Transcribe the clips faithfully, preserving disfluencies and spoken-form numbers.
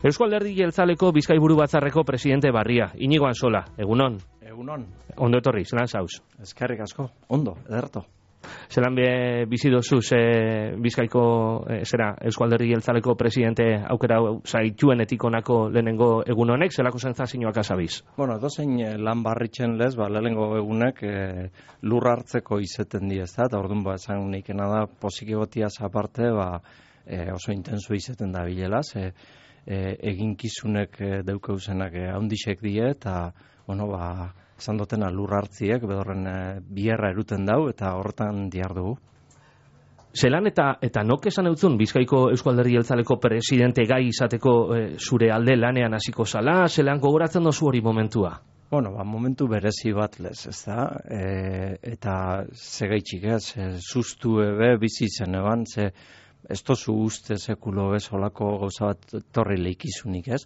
Eusko Alderdi Jeltzaleko Bizkaiburu Batzarreko presidente Barria, Inigo Ansola, egunon. Egunon. Ondo etorri, zelan zauz? Eskerrik asko, ondo, ederto. Zelan be, bizi dozuz e, Bizkaiko, e, zera, Eusko Alderdi Jeltzaleko presidente aukera zaituen etikonako lehenengo egun honek, zelako sentsazioak azabiz? Bueno, dozein lan barritzen lez, ba, lehenengo egunek e, lur hartzeko izeten di ez da, eta orduan ba, esan nikena da, posiki gotiaz aparte, ba, e, oso intenso izeten da bilelaz, e, e, eginkizunek e, deukeuzenak e, haundixek die, eta, bueno, ba, esan dutena lur hartziek, bedorren e, bierra eruten dau, eta horretan diardugu. Zelan eta eta nok esan eutzun Bizkaiko Eusko Alderdi Jeltzaleko presidente gai izateko e, zure alde lanean hasiko zala, zelan gogoratzen dozu hori momentua? Bueno, ba, momentu berezi bat lez, ez da, e, eta zegaitxik ez, e, sustu ebe bizi zen eban, ze ez tozu uste sekulo ez olako gauza bat torri leikizunik ez,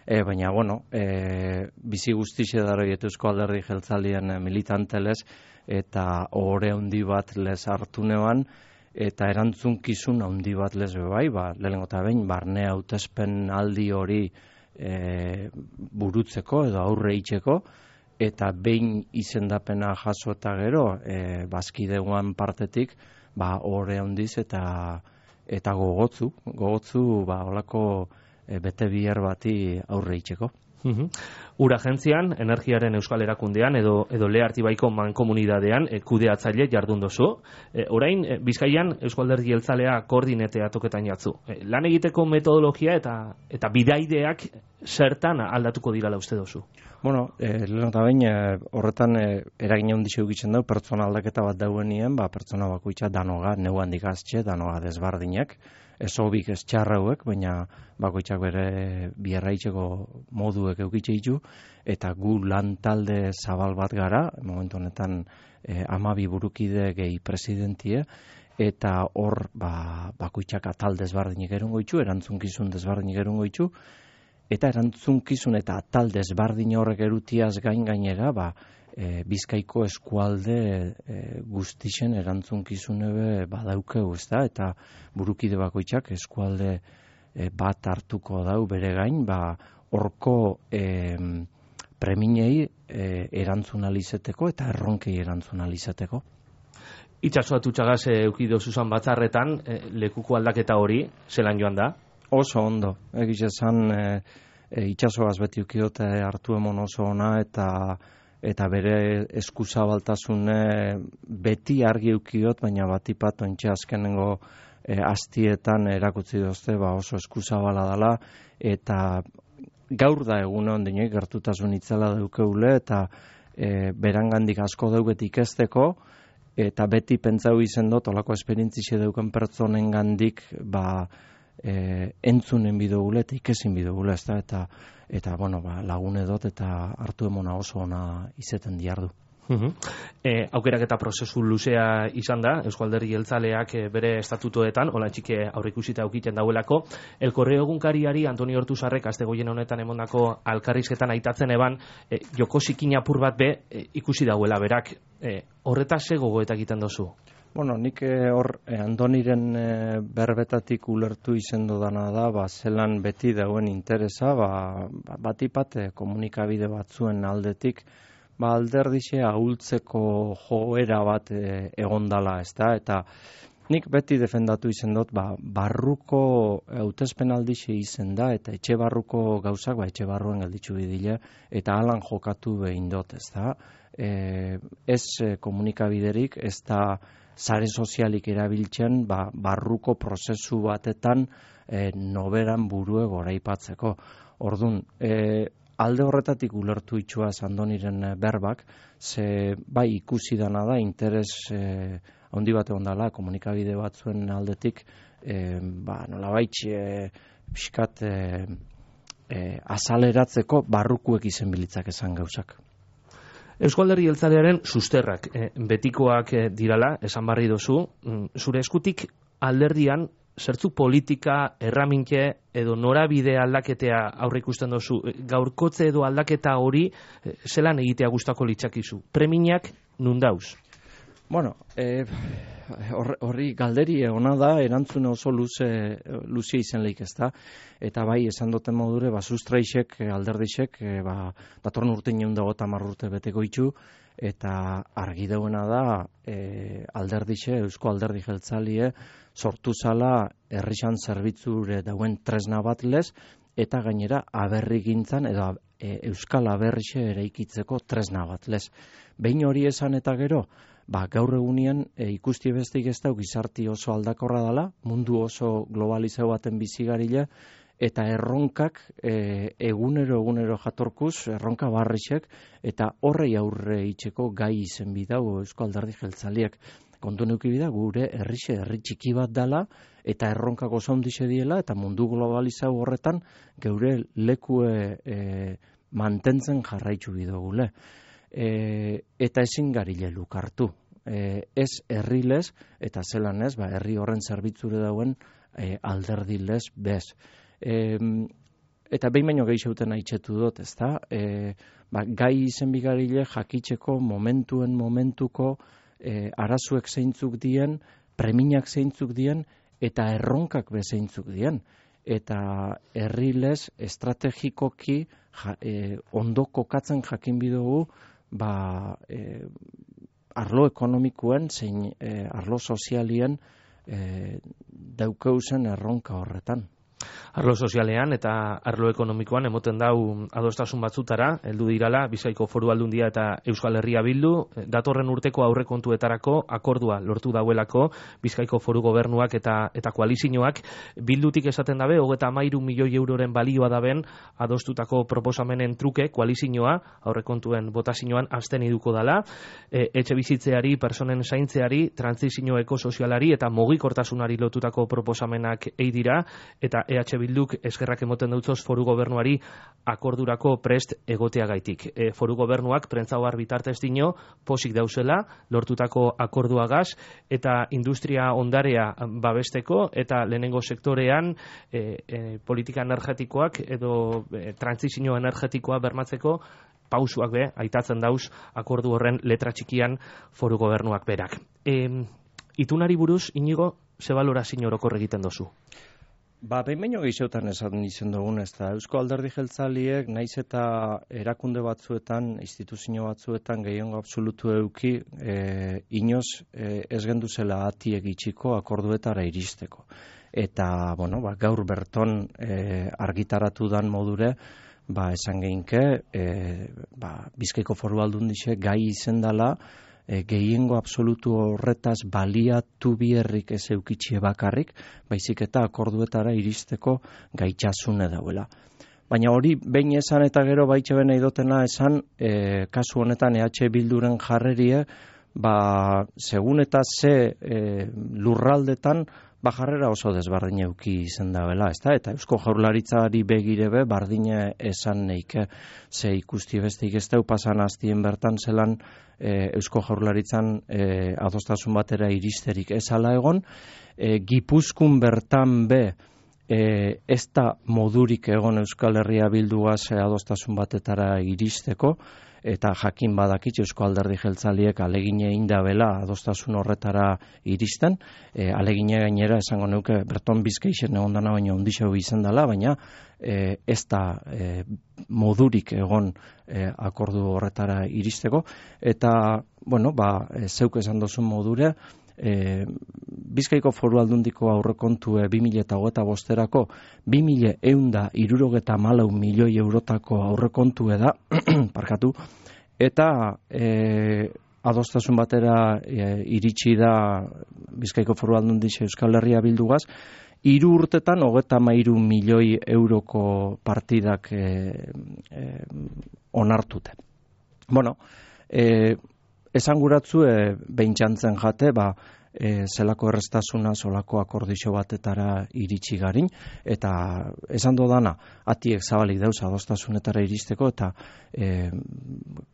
e, baina, bueno, e, bizi guztixe daro Eusko Alderdi Jeltzalien militantelez, eta ohore handi bat lez hartu neban, eta erantzunkizun handi bat lez bai, ba, lehenengo eta behin, barne hautespen aldi hori e, burutzeko edo aurre itxeko, eta behin izendapena jaso eta gero, e, bazkideguan partetik, ba, ohore handiz eta eta gogotzu, gogotzu, ba, olako e, bete biher bati aurre itxeko. Uhum. Ura agentzian, energiaren euskal erakundean edo, edo Lehartibaiko mankomunidadean e, kudeatzaile jardun dozu. E, orain, e, Bizkaian Eusko Alderdi Jeltzalea koordinetea toketan jatzu. E, lan egiteko metodologia eta eta bidaideak zertan aldatuko dirala uste dozu? Bueno, e, lehen eta behin, e, horretan e, eragin handi zeugitzen dau, pertsona aldaketa bat dauenien, ba, pertsona bakoitza danoga, neu handik aztxe, danoga desbardinak, ez hobik ez txarrauek, baina bakoitzak bere bierraitzeko moduek eukitxe ditu, eta gu lan talde zabal bat gara, momentu honetan e, amabi burukide gehi presidentie, eta hor ba, bakoitzak atal desbardinik erungo ditu, erantzunkizun desbardinik erungo ditu, eta erantzunkizun eta atal desbardin horrek erutiaz gain gainera, ba, e, Bizkaiko eskualde e, guztixen erantzunkizunebe badaukeu, ez da, eta burukide bakoitzak eskualde e, bat hartuko dau bere gain, ba, horko e, preminei e, erantzunalizeteko eta erronkei erantzunalizeteko. Itxasoatu txagaz e, eukido zuzan batzarretan, e, lekuko aldaketa hori, zelan joan da? Oso ondo, egiz esan e, e, itxasoaz beti ukiote hartu emon oso ona eta eta bere eskuzabaltasune beti argi ukiot, baina batipat ontxe azkenengo e, astietan erakutzi dozte ba oso eskuzabala dela, eta gaur da egun ondinek gertutasun itzela daukeule, eta e, berangandik asko dauket ikesteko, eta beti pentsau izen dut, olako esperientzixe dauken pertsonen gandik, ba, e, entzunen bidogule, eta ikesin bidogule, ez da, eta eta bueno, ba, lagune dut eta hartu emona oso ona izeten diardu. Uhum. E, aukerak eta prozesu luzea izan da, Eusko Alderdi Jeltzaleak e, bere estatutoetan, hola txike aurreikusita aukiten dauelako, El Correo egunkariari Antonio Ortuzarrek astegoien honetan emondako alkarrizketan aitatzen eban, e, joko zikin apur bat be e, ikusi dauela berak, e, horretaz ze gogoetak egiten dozu? Bueno, nik hor eh, Andoniren eh, berbetatik ulertu izen dudana da, ba, zelan beti dauen interesa, ba, batipat eh, komunikabide batzuen aldetik, ba, alderdixe ahultzeko joera bat eh, egondala, ez da, eta nik beti defendatu izen dut, ba, barruko hautespen aldixe izen da, eta etxe barruko gauzak, ba, etxe barruen gelditzu bidile, eta alan jokatu behin dut, ez da, e, ez eh, komunikabiderik, ez da, sare sozialik erabiltzen ba, barruko prozesu batetan e, noberan burue goraipatzeko. Ordun, e, alde horretatik ulertu itxua Andoniren berbak, ze bai ikusi dana da, interes e, handi bat egon dela, komunikabide batzuen aldetik, e, ba, nolabait e, pixkat e, e, azaleratzeko barrukuek izen bilitzak esan gauzak. Eusko Alderdi Jeltzalearen susterrak e, betikoak e, dirala, esan barri dozu, zure eskutik alderdian zertzu politika, erramintxe edo norabide aldaketea aurre ikusten dozu, gaurkotze edo aldaketa hori e, zelan egitea gustako litzakizu? Preminak nun dauz? Bueno, e, horri galderi ona da, erantzune oso luze, luzia izen lehik ez da, eta bai, esan duten modure, ba, sustraixek, alderdixek, ba, datorn urte nion dago tamar urte beteko itxu, eta argi dauena da, e, alderdixe, Eusko Alderdi Jeltzalie, sortu zala herrixan zerbitzure dauen tresna bat lez, eta gainera aberri gintzan, edo e, Euskal Aberrixe eraikitzeko tresna bat lez. Behin hori esan eta gero, ba, gaur egunien e, ikusti bestik ez da gizarti oso aldakorra dela, mundu oso globalizau baten bizigarile, eta erronkak e, egunero egunero jatorkuz, erronka barrixek, eta horrei aurre itxeko gai izen bidau Eusko Alderdi Jeltzaliek. Kontu neuki bida, gure herrixe, herri txiki bat dela, eta erronkako zondixe diela, eta mundu globalizau horretan, geure lekue e, mantentzen jarraitzu bidogule. E, eta ezin garile lukartu. E, ez herrilez, eta zelan ez, ba, herri horren zerbitzure dauen e, alderdilez bez. E, eta behin baino gehixeuten haitxetu dut, ez da? E, ba, gai izen bigarile jakitzeko momentuen momentuko e, arazuek zeintzuk dien, preminak zeintzuk dien, eta erronkak bezeintzuk dien. Eta herrilez estrategikoki ja, e, ondo kokatzen jakin bidugu, ba, e, arlo ekonomikoen, zein e, arlo sozialien e, daukeuzen erronka horretan. Arlo sozialean eta arlo ekonomikoan emoten dau adostasun batzutara, heldu dirala Bizkaiko Foru Aldundia eta Euskal Herria Bildu, datorren urteko aurrekontuetarako akordua lortu dauelako Bizkaiko Foru Gobernuak eta eta koalizioak. Bildutik esaten dabe hogeita hamairu milioi euroren balioa daben adostutako proposamenen truke koalizioa aurrekontuen botazioan absten iduko dala, e, etxe bizitzeari, personen zaintzeari, trantsizio ekosozialari eta mugikortasunari lotutako proposamenak ei dira, eta E H Bilduk eskerrak emoten dutzoz Foru Gobernuari akordurako prest egoteagaitik. E, Foru Gobernuak prentzaoar bitartez dino posik dauzela lortutako akorduagaz eta industria ondarea babesteko eta lehenengo sektorean e, e, politika energetikoak edo e, trantsizio energetikoa bermatzeko pausuak be, aitatzen dauz akordu horren letra txikian Foru Gobernuak berak. E, itunari buruz, Inigo, ze balorazio orokor egiten dozu? Ba, behin baino gehixeutan esan izen dugun, ez da, Eusko Alderdi Jeltzaliek, naiz eta erakunde batzuetan, instituzio batzuetan, gehiengo absolutu euki, e, inoz e, ez genduzela atiek itxiko akorduetara iristeko. Eta, bueno, ba, gaur berton e, argitaratu dan modure, ba, esan geinke, e, ba, Bizkaiko Foru Aldundixe gai izendala, E, gehiengo absolutu horretaz baliatu bierrik ez eukitxie bakarrik, baizik eta akorduetara iristeko gaitxasune dauela. Baina hori behin esan eta gero baitxe bena idotena esan, e, kasu honetan E H Bilduren jarrerie, ba, segun eta ze e, lurraldetan, ba, jarrera oso desbardin euki izen dabela, ezta? Eta Eusko Jaurlaritzari begirebe bardine esan neike, ze ikusti bestik ez dau pasan hastien bertan zelan e, Eusko Jaurlaritzan e, adostasun batera iristerik ezala egon, e, Gipuzkun bertan be e, ez da modurik egon Euskal Herria Bilduaz e, adostasun batetara iristeko, eta jakin badakit Eusko Alderdi Jeltzaliek alegine indabela adostasun horretara iristen, e, alegine gainera esango neuke Berton Bizkaixen egon dana baina ondixeu izen dela, baina e, ez da e, modurik egon e, akordu horretara iristeko, eta, bueno, ba, e, zeuk esan dozun modure, E, Bizkaiko Foru Aldundiko aurrekontu e, bi mila hogeita bosterako bi mila ehun hirurogeta hamalau milioi eurotako aurrekontu da, parkatu, eta e, adostasun batera e, iritsi da Bizkaiko Foru Aldundixe Euskal Herria Bildugaz, hiru urtetan hogeita hamairu milioi euroko partidak e, e, onartute. Bueno, e, esan guratzu, e, behintxantzen jate, ba, e, zelako erreztasuna, solako akordixo batetara iritsi garin, eta esan dodana, atiek zabalik dauz adostasunetara iristeko, eta e,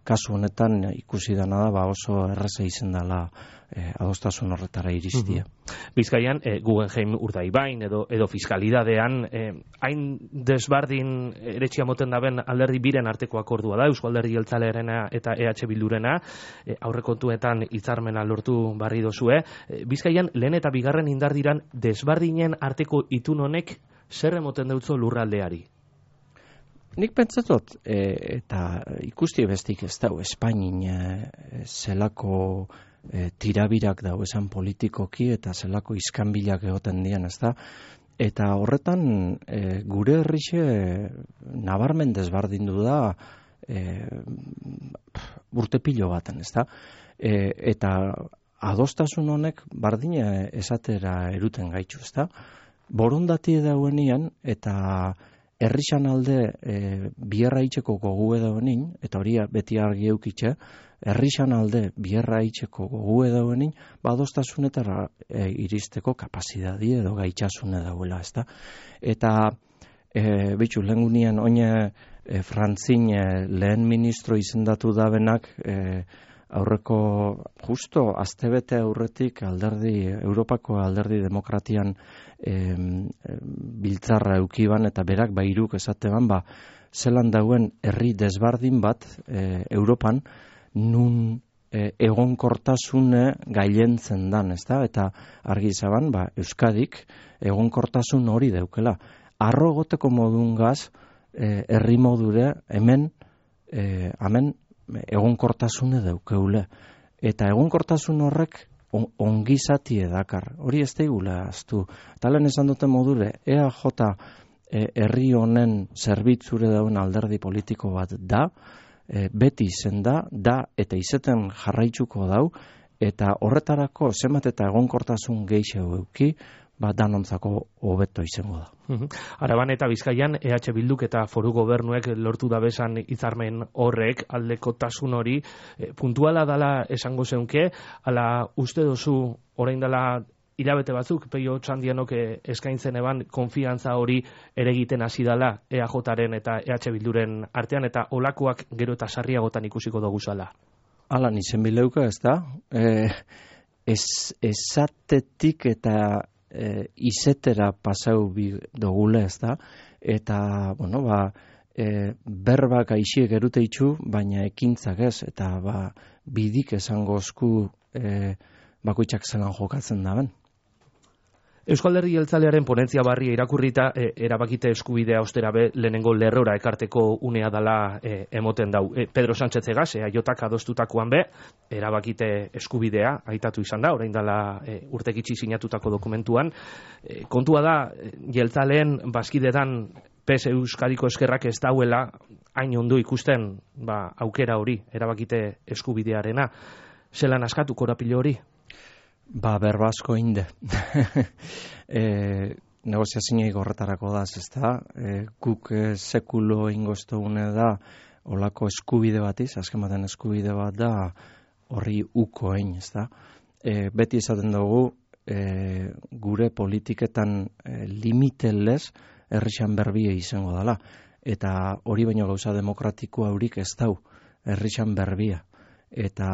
kasu honetan ikusi dana da, ba, oso erreza izen dela e, adostasun horretara iristia. Mm-hmm. Bizkaian, e, Guggenheim Urdaibain edo, edo fiskalidadean, e, hain desbardin eretxia moten daben alderdi biren arteko akordua da, Eusko Alderdi Jeltzalearena eta E H Bildurena, e, aurrekontuetan hitzarmena lortu barri dozue. E, Bizkaian, lehen eta bigarren indardiran desbardinen arteko itun honek zer emoten deutzo lurraldeari? Nik pentsatot, e, eta ikusti bestik ez dau, Espainin e, zelako e, tirabirak dau esan politikoki eta zelako iskanbilak egoten dian, ez da? Eta horretan e, gure herrixe nabarmen desbardindu da e, urte pilo baten, ez da? E, eta adostasun honek bardina esatera eruten gaitzu, ez da? Borondati dauenian eta herrixan alde e, bierra itxeko gogu edoenin, eta hori beti argi eukitxe, herrixan alde bierra itxeko gogu edoenin, badostasunetara e, iristeko kapazidadi edo gaitxasune dauela, ezta? Eta, e, bitxu, lehen gunean, oine e, Frantzin e, lehen ministro izendatu dabenak, e, aurreko justo astebete aurretik alderdi Europako alderdi demokratian em, biltzarra eukiban eta berak bairuk esateban ba zelan dauen herri desbardin bat e, Europan nun e, egonkortasune gailentzen dan, ezta? Eta argi zaban ba Euskadik egonkortasun hori daukela. Arro egoteko modungaz e, herri modure hemen e, hemen egonkortasune daukeule. Eta egonkortasun horrek on, ongizatie dakar. Hori ez daigula aztu. Talen esan duten modure, E A J e, herri honen zerbitzure dauen alderdi politiko bat da, e, beti izen da, da eta izeten jarraitzuko dau, eta horretarako zenbat eta egonkortasun gehiago euki, ba danontzako hobeto izango da. Uh-huh. Araban eta Bizkaian E H Bilduk eta foru gobernuek lortu dabesan hitzarmen horrek aldekotasun hori e, puntuala dala esango zeunke, ala uste dozu orain dela hilabete batzuk Peio Txandianok eskaintzen eban konfiantza hori ere egiten hasi dala E A Jaren eta E H Bilduren artean eta olakoak gero eta sarriagotan ikusiko dugu zala. Ala nizen bileuka ez da, e, ez, esatetik eta E, izetera pasau bi dogule, ez da, eta, bueno, ba, e, berbak aixiek erute itxu, baina ekintzak ez, eta, ba, bidik esango osku e, bakoitzak zelan jokatzen daben. Eusko Alderdi Jeltzalearen ponentzia barria irakurrita e, erabakite eskubidea ostera be lehenengo lerrora ekarteko unea dala e, emoten dau. E, Pedro Sánchez Egas, e, aiotak adostutakoan be, erabakite eskubidea aitatu izan da, orain dala e, urtekitsi sinatutako dokumentuan. E, kontua da, Jeltzaleen bazkidetan P S Euskadiko eskerrak ez dauela hain ondo ikusten ba, aukera hori, erabakite eskubidearena. Zelan askatu korapilo hori? Ba, berbasko inde. e, negoziazinei horretarako da, ez da, e, guk e, sekulo ingoztu une da, olako eskubide batiz, azken baten eskubide bat da, horri uko egin, ez da. E, beti esaten dugu, e, gure politiketan e, limitelez, herrixan berbie izango dela. Eta hori baino gauza demokratikoa haurik ez dau, herrixan berbia. Eta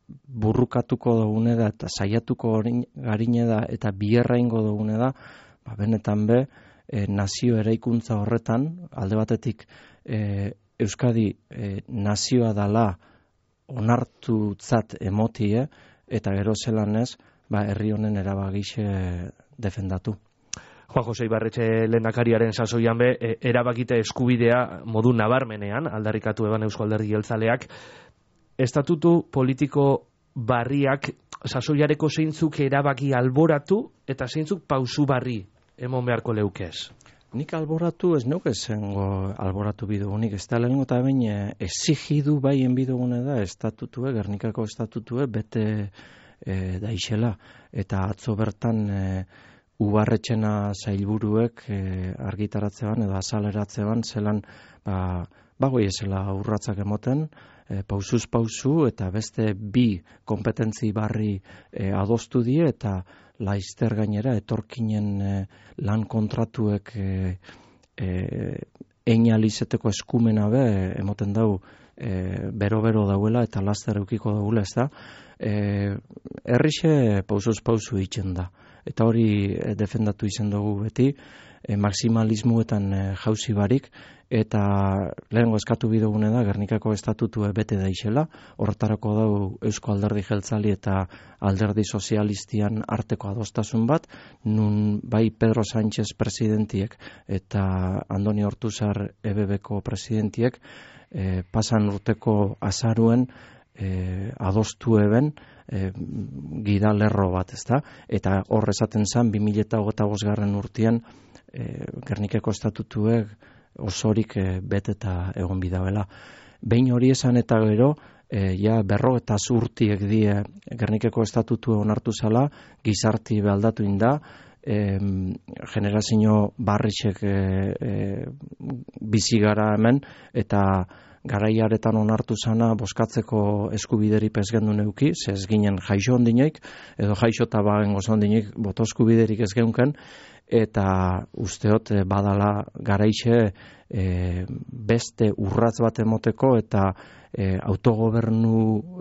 burrukatuko dugune da eta saiatuko garine da eta bierra ingo dugune da, ba, benetan be, e, nazio eraikuntza horretan, alde batetik e, Euskadi e, nazioa dala onartutzat emotie, eta gero zelan ez, ba, herri honen erabagixe defendatu. Juan Jose Ibarretxe lehendakariaren sasoian be, e, erabakite eskubidea modu nabarmenean, aldarrikatu eban Eusko Alderdi Jeltzaleak, estatutu politiko barriak sasoiareko zeintzuk erabaki alboratu eta zeintzuk pausu barri emon beharko leukez? Nik alboratu ez neuke zengo alboratu bidugunik, ez da lehenengo eta behin exigidu baien bidugune da estatutue, Gernikako estatutue bete e, daixela, eta atzo bertan e, Ubarretxena zailburuek e, argitaratzean edo azaleratzean zelan ba, bagoi ezela urratzak emoten, e, pausuz pausu eta beste bi kompetentzi barri e, adostu die eta laizter gainera etorkinen e, lan kontratuek e, e, eina lizeteko eskumena be, emoten dau, e, bero-bero dauela eta laster eukiko daula, ez da. E, errixe pausuz pausu itzen da. Eta hori e, defendatu izan dugu beti, e, maximalismuetan e, jauzi barik, eta lehengo eskatu bidogune da, Gernikako estatutu bete daixela, horretarako dau Eusko Alderdi Jeltzali eta Alderdi Sozialistian arteko adostasun bat, nun bai Pedro Sánchez presidentiek eta Andoni Ortuzar E B Bko presidentiek e, pasan urteko azaruen e, adostu eben e, gida lerro bat, ezta? Eta hor esaten zan, bi mila hogeita bosgarren urtean e, Gernikako estatutuek osorik e, beteta egon bidabela. Behin hori esan eta gero, e, ja berro eta zurtiek die Gernikeko estatutu onartu zala, gizarti behaldatu inda, e, generazio barritxek e, e, bizigara hemen, eta garaiaretan onartu zana boskatzeko eskubideri pezgendu neuki, ze ez ginen jaixo ondineik, edo jaixo eta bagen gozo ondineik boto eskubiderik ez geunken, eta usteot badala garaixe e, beste urratz bat emoteko eta e, autogobernu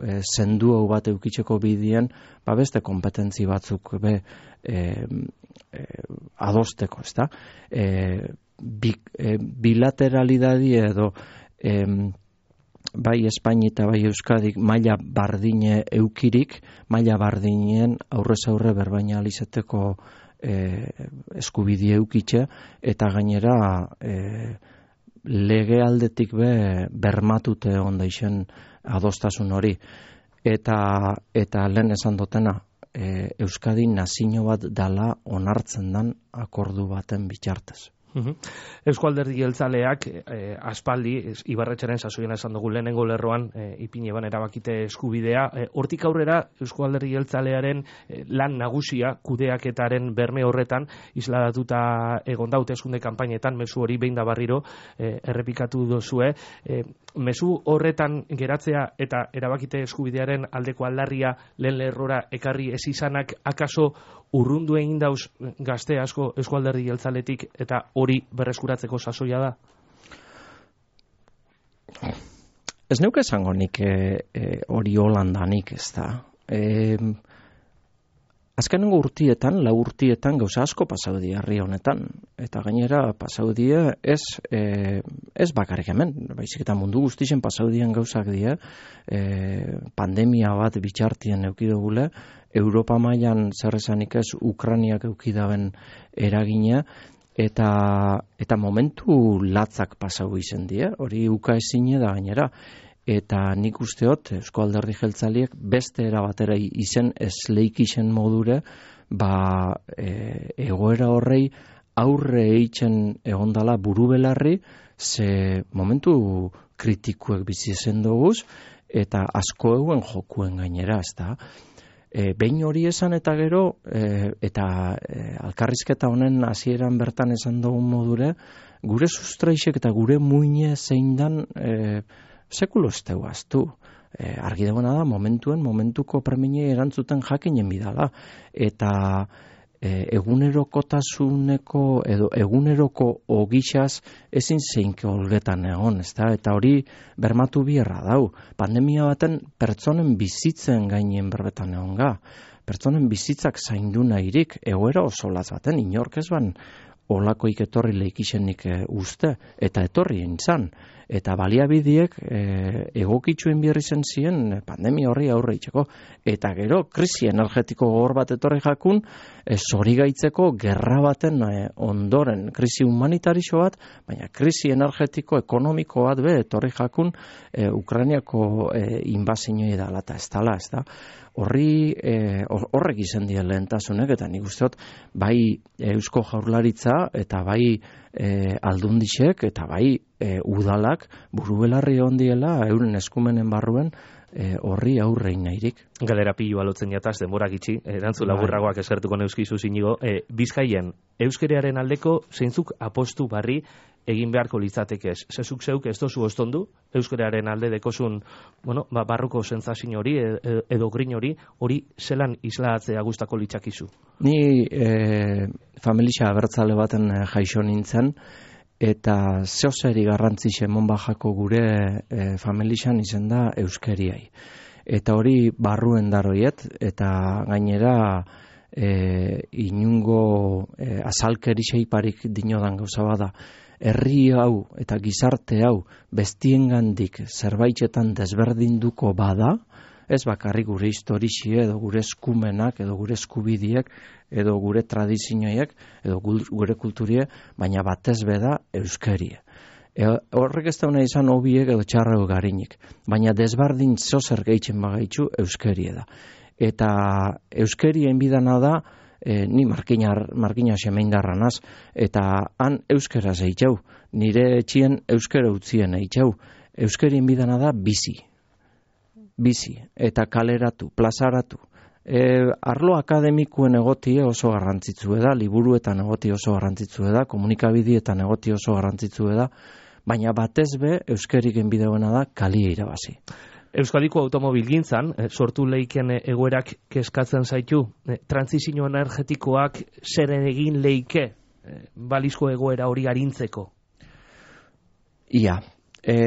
e, zendu hau bat eukitzeko bidien, ba beste kompetentzi batzuk be e, e, adosteko, ezta? E, bi, e, bilateralidadi edo e, bai Espaini eta bai Euskadik maila bardine eukirik, maila bardinen aurrez aurre berbaina alizeteko E, eskubidie eukitxe, eta gainera e, lege aldetik be bermatute onda izen adostasun hori. Eta, eta lehen esan dutena, e, Euskadi nazio bat dala onartzen dan akordu baten bitartez. Uhum. Eusko Alderdi Jeltzaleak eh, aspaldi, Ibarretxeren sasoian esan dugu lehenengo lerroan eh, ipini eban erabakite eskubidea. Eh, hortik aurrera Eusko Alderdi Jeltzalearen eh, lan nagusia kudeaketaren berme horretan isladatuta egon da hauteskunde kanpainetan, mezu hori behin da barriro eh, errepikatu dozue. Eh, mezu horretan geratzea eta erabakite eskubidearen aldeko aldarria lehen lerrora ekarri ez izanak akaso urrundu egin dauz gazte asko Eusko Alderdi Jeltzaletik eta hori berreskuratzeko sasoia da? Ez neuke esango nik e, e, hori holandanik, ez da. E, azkenengo urtietan, lau urtietan gauza asko pasaudi herri honetan. Eta gainera pasaudie ez, e, ez bakarrik hemen, baizik eta mundu guztien pasaudien gauzak die, e, pandemia bat bitxartien eukidogule, Europa mailan zer esanik ez Ukrainiak eukidaben eragina, eta eta momentu latzak pasau izen die, hori uka ezine da gainera. Eta nik usteot Eusko Alderdi Jeltzaliek beste era batera izen ez leikisen modure, ba e, egoera horrei aurre eitzen egondala buru belarri, ze momentu kritikuek bizi zen doguz, eta asko eguen jokuen gainera, ez da. E, behin hori esan eta gero, e, eta e, alkarrizketa honen hasieran bertan esan dugun modure, gure sustraixek eta gure muine zein dan e, sekulo ez duaztu. E, argi dagoena da, momentuen, momentuko premiei erantzuten jakinen bidala. Eta e, egunerokotasuneko edo eguneroko ogixaz ezin zeinke olgetan egon, ezta? Eta hori bermatu bierra dau. Pandemia baten pertsonen bizitzen gainen berbetan egon ga. Pertsonen bizitzak zaindu nahirik, egoera oso latz baten, inork ez ban olakoik etorri leikisenik e, uste, eta etorri entzan. Eta baliabidiek e, egokitzuen bierri zen ziren pandemia horri aurre itxeko. Eta gero, krisi energetiko gogor bat etorri jakun, e, zorigaitzeko gerra baten e, ondoren, krisi humanitarizio bat, baina krisi energetiko ekonomiko bat be etorri jakun e, Ukrainiako e, inbazinoi da, eta ez dala, ez da. Horri e, horrek izan dien lehentasunek, eta nik usteot bai Eusko Jaurlaritza eta bai e, aldundixek eta bai e, udalak buru belarri ondiela euren eskumenen barruen e, horri aurrein nahirik. Galera pilu alotzen jataz, denbora gitxi, erantzu laburragoak esertuko neuzkizu zinigo. E, Bizkaien, euskerearen aldeko zeintzuk apostu barri egin beharko litzatekez. Zezuk zeuk ez dozu ostondu, euskararen alde dekozun, bueno, ba, barruko sentsazio hori edo grin hori, hori zelan islatzea gustako litzakizu? Ni e, familia abertzale baten jaixo nintzen, eta zeozeri garrantzixe monbajako gure e, familixan izen da euskeriai. Eta hori barruen daroiet, eta gainera e, inungo e, azalkerixeiparik dinodan gauza bada, herri hau eta gizarte hau bestiengandik zerbaitetan desberdinduko bada, ez bakarrik gure historixie edo gure eskumenak edo gure eskubidiek edo gure tradizioiek edo gure kulturie, baina batez beda euskerie. E, horrek ez dauna izan hobiek edo txarreu garinik, baina desbardin zozer gehitzen bagaitzu euskerie da. Eta euskerien bidana da, e, ni markinar, markina semeindarranaz, eta han euskera zeitxau, nire etxien euskera utzien eitxau, euskerien bidana da bizi. Bizi, eta kaleratu, plazaratu. E, arlo akademikuen egotie oso garrantzitsue da, liburuetan egotie oso garrantzitsue da, komunikabidietan egotie oso garrantzitsue da, baina batez be euskeriken bideoena da kalia irabazi. Euskadiko automobilgintzan sortu leiken egoerak kezkatzen zaitu, trantsizio energetikoak zer egin leike balizko egoera hori arintzeko? Ia, e,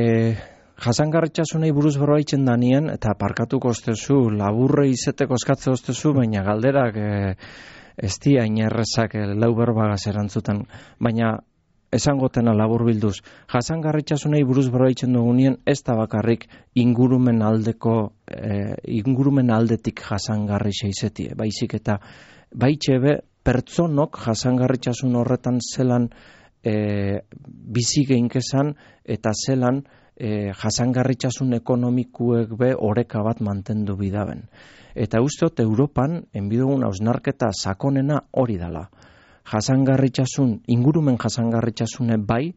jasangarritxasunei buruz berbaitzen danien, eta parkatuko ostezu, laburre izeteko eskatze ostezu, baina galderak e, ez di hain errezak e, lau berbagaz erantzuten, baina esangotena labur bilduz, jasangarritxasunei buruz berbaitzen dugunien, ez da bakarrik ingurumen aldeko, e, ingurumen aldetik jasangarrixa izetie, baizik eta baitxebe pertsonok jasangarritxasun horretan zelan e, bizi geinkezan eta zelan e, jasangarritxasun ekonomikuek be oreka bat mantendu bidaben. Eta ustot Europan, enbidugun hausnarketa sakonena hori dala. Jasangarritxasun, ingurumen jasangarritxasune bai,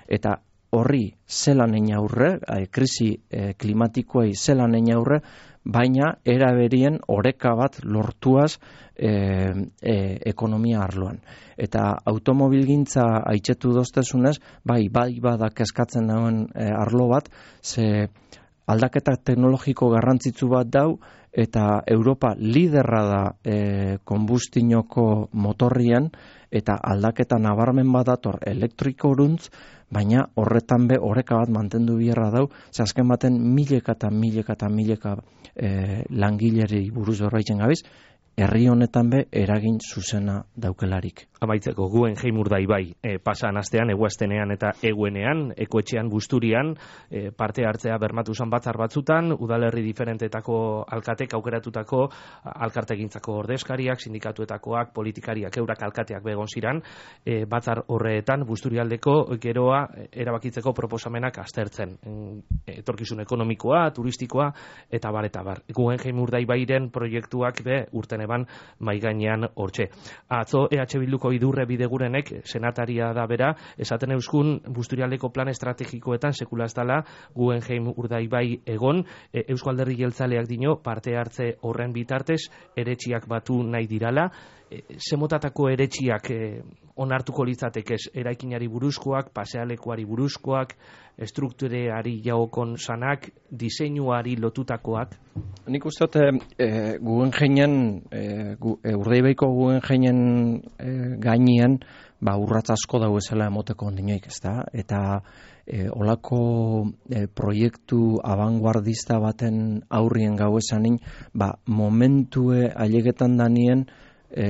eta horri zelan egin aurre, e, krisi e, klimatikoei zelan egin aurre, baina eraberien oreka bat lortuaz e, e, ekonomia arloan. Eta automobilgintza aitzetu doztezunez, bai, bai badak eskatzen dauen e, arlo bat, ze aldaketa teknologiko garrantzitsu bat dau, eta Europa liderra da e, konbustinoko motorrian, eta aldaketa nabarmen badator elektrikoruntz, baina horretan be oreka bat mantendu biherra dau, ze azken baten mileka eta mileka eta mileka e, langileri buruz berbaitzen gabiz, herri honetan be eragin zuzena daukelarik. Amaitzeko, Guggenheim Urdaibai e, pasan astean, eguaztenean eta eguenean, ekoetxean guzturian, e, parte hartzea bermatu zan batzar batzutan, udalerri diferentetako alkatek aukeratutako alkartegintzako ordezkariak, sindikatuetakoak, politikariak, eurak alkateak begon ziran, e, batzar horretan, busturialdeko geroa erabakitzeko proposamenak aztertzen. Etorkizun ekonomikoa, turistikoa, eta bar, eta bar. Guggenheim Urdaibairen proiektuak be urten eban maigainean hortxe. Atzo E H Bilduko idurre bidegurenek, senataria da bera, esaten euskun busturialdeko plan estrategikoetan sekula ez dala Guggenheim Urdaibai egon, e, Eusko Alderdi Jeltzaleak dino parte hartze horren bitartez eretxiak batu nahi dirala. E, zemotatako eretxiak e, onartuko litzatekez, eraikinari buruzkoak, pasealekuari buruzkoak, struktureari jagokon sanak, diseinuari lotutakoak? Nik uste dut, e, Guggenheinen, e, gu, e, Urdaibaiko Guggenheinen e, gainean, ba, urratz asko dago ezela emoteko ondinoik, ez da? Eta e, olako e, proiektu abanguardista baten aurrien gau esanin, ba, momentue ailegetan danien, E,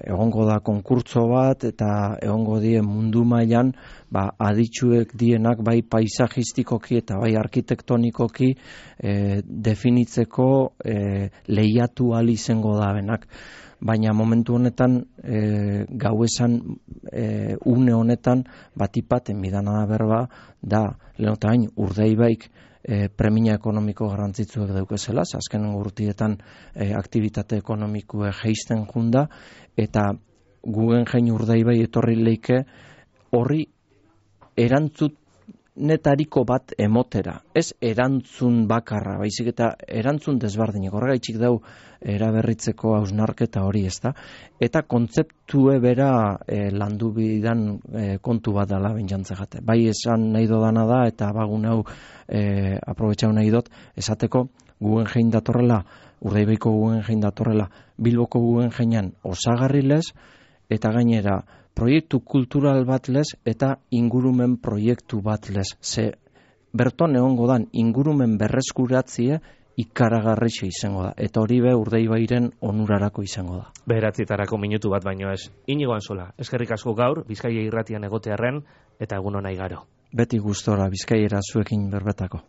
egongo da konkurtso bat eta egongo die mundu mailan ba, aditsuek dienak bai paisajistikoki eta bai arkitektonikoki e, definitzeko e, lehiatu ahal izango da benak. Baina momentu honetan e, gau esan e, une honetan batipaten bidana da berba da lehenotain Urdaibaik E, premia ekonomiko garrantzitsuak daukezela, azken urtietan e, aktivitate ekonomikoa jeisten junda, eta Guggenheim Urdaibai etorri leike horri erantzunetariko bat emotera. Ez erantzun bakarra, baizik eta erantzun desbardinek. Horregaitzik dau eraberritzeko hausnarketa hori, ez da? Eta kontzeptue bera e, landu bidan e, kontu bat dela bentsantzegate. Bai esan nahi dodana da, eta bagun hau e, aprobetxau nahi dut, esateko Guggenheim datorrela, Urdaibaiko Guggenheim datorrela, Bilboko Guggenheiman osagarri lez, eta gainera proiektu kultural bat lez eta ingurumen proiektu bat lez. Ze berton egongo dan ingurumen berreskuratzie ikaragarrixe izango da. Eta hori be Urdeibairen onurarako izango da. Beratzitarako minutu bat baino ez. Inigo Antzola, eskerrik asko gaur, Bizkaia irratian egotearren, eta egun ona igaro. Beti gustora Bizkaiera zuekin berbetako.